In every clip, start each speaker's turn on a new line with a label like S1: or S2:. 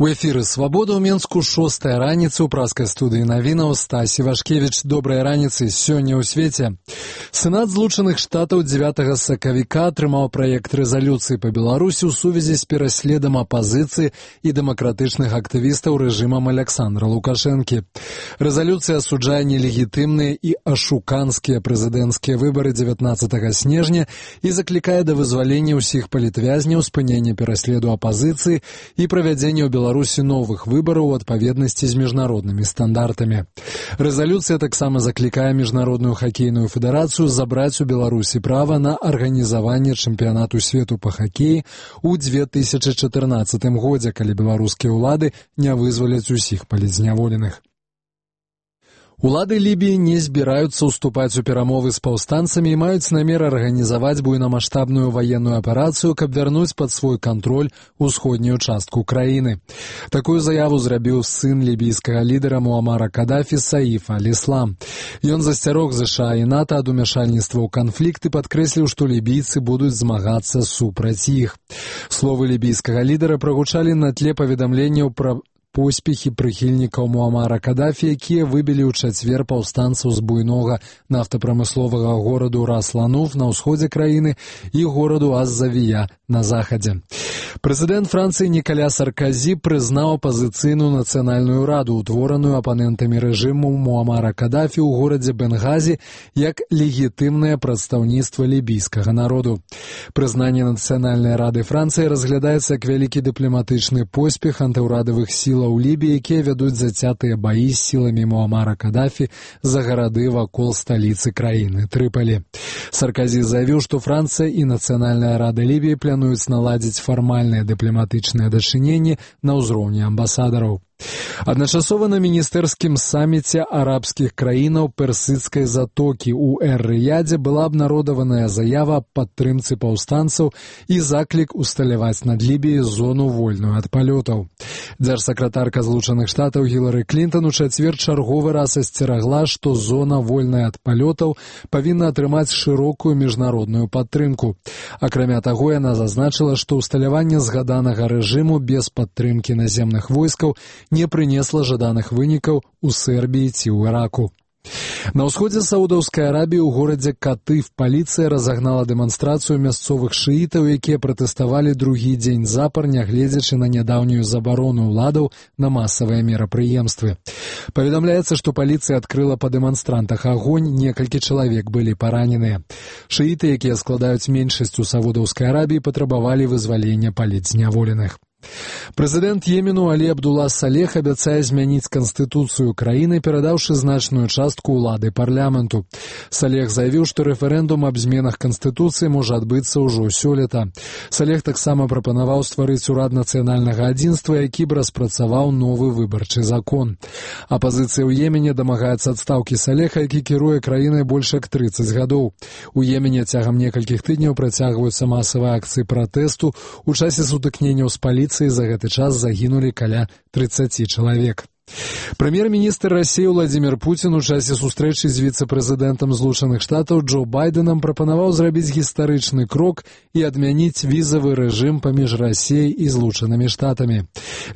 S1: У эфіры «Свабода» ў Менску 6-я раніца ў праскай студыі навінаў Стась Івашкевіч. Добрай раніцы сёння ў свеце. Сенат Злучаных Штатаў 9 сакавіка атрымаў праект рэзалюцыі па Беларусі ў сувязі з пераследам апазіцыі і дэмакратычных актывістаў рэжымам Аляксандра Лукашэнкі. Рэзалюцыя асуджае нелегітымныя і ашуканскія прэзідэнцкія выбары 19 снежня і заклікае да вызвалення ўсіх палітвязняў, спынення пераследу апазіцыі і правядзення ў Беларусі новых выбараў у адпаведнасці з міжнароднымі стандартамі. Рэзалюцыя таксама заклікае Міжнародную хакейную федэрацыю забраць у Беларусі права на арганізаванне чэмпіянату свету па хакеі ў 2014 годзе, калі беларускія ўлады не вызваляць усіх палітзняволеных. Улады Лібіі не збіраюцца ўступаць у перамовы з паўстанцамі і маюць намер арганізаваць буйнамаштабную ваенную аперацыю, каб вярнуць пад свой кантроль усходнюю частку краіны. Такую заяву зрабіў сын лібійскага лідара Муамара Кадафі Саіф аль-Іслам. Ён засцярог ЗША і НАТО ад умяшальніцтва ў канфлікт і падкрэсліў, што лібійцы будуць змагацца супраць іх. Словы лібійскага лідара прагучалі на тле паведамленняў пра поспехі прыхільнікаў Муамара Кадафі, якія выбілі ў чацвер паўстанцаў з буйнога нафтапрамысловага гораду Рас-Лануф на ўсходзе краіны і гораду Аз-Завія на захадзе. Прэзідэнт Францыі Нікаля Сарказі прызнаў апазіцыйную нацыянальную раду, утвораную апанентамі рэжыму Муамара Кадафі ў горадзе Бенгазі, як легітымнае прадстаўніцтва лібійскага народу. Прызнанне нацыянальнай рады Францыі разглядаецца як вялікі дыпламатычны поспех антыўрадавых сілаў Лібіі, якія вядуць зацятыя баі з сіламі Муамара Кадафі за гарады вакол сталіцы краіны Трыпалі. Сарказі заявіў, што Францыя і Нацыянальная рада Лібіі плануюць наладзіць фармальныя дыпламатычныя дачыненні на ўзроўні амбасадараў. Адначасова на міністэрскім саміце арабскіх краінаў Персідскай затокі ў Эр-Рыядзе была абнародаваная заява аб падтрымцы паўстанцаў і заклік усталяваць над Лібіяй зону вольную ад палётаў. Дзяржсакратарка Злучаных Штатаў Гілары Клінтан у чацвер чарговы раз асцерагла, што зона вольная ад палётаў павінна атрымаць шырокую міжнародную падтрымку. Акрамя таго, яна зазначыла, што ўсталяванне згаданага рэжыму без падтрымкі наземных войскаў не прынесла жаданых вынікаў у Сербіі ці ў Іраку. На ўсходзе Саудаўскай Арабіі ў горадзе Катыф паліцыя разагнала дэманстрацыю мясцовых шыітаў, якія пратэставалі другі дзень запар, нягледзячы на нядаўнюю забарону ўладаў на масавыя мерапрыемствы. Паведамляецца, што паліцыя адкрыла па дэманстрантах агонь, некалькі чалавек былі параненыя. Шыіты, якія складаюць меншасць у Саудаўскай Арабіі, патрабавалі вызвалення палітзняволеных. Прэзідэнт Йемену Алі Абдулла Салех абяцае змяніць канстытуцыю краіны, перадаўшы значную частку ўлады парламенту. Салех заявіў, што рэферэндум аб зменах канстытуцыі можа адбыцца ўжо сёлета. Салех таксама прапанаваў стварыць урад нацыянальнага адзінства, які б распрацаваў новы выбарчы закон. Апазіцыя ў Йемене дамагаецца адстаўкі Салеха, які кіруе краінай больш як 30 гадоў. У Йемене цягам некалькіх тыдняў працягваюцца масавыя акцыі пратэсту. У часе сутыкненняў з паліцыяй за гэты час загінулі каля 30 чалавек. Прэм'ер-міністр Расіі Владзімір Пуцін у часе сустрэчы з віцэ-прэзідэнтам Злучаных Штатаў Джо Байдэнам прапанаваў зрабіць гістарычны крок і адмяніць візавы рэжым паміж Расіяй і Злучанымі Штатамі.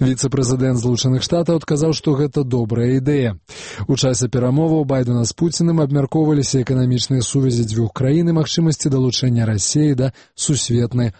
S1: Віцэ-прэзідэнт Злучаных Штатаў адказаў, што гэта добрая ідэя. У часе перамоваў Байдэна з Пуцінам абмяркоўваліся эканамічныя сувязі дзвюх краін і магчымасці далучэння Расіі да сусветнай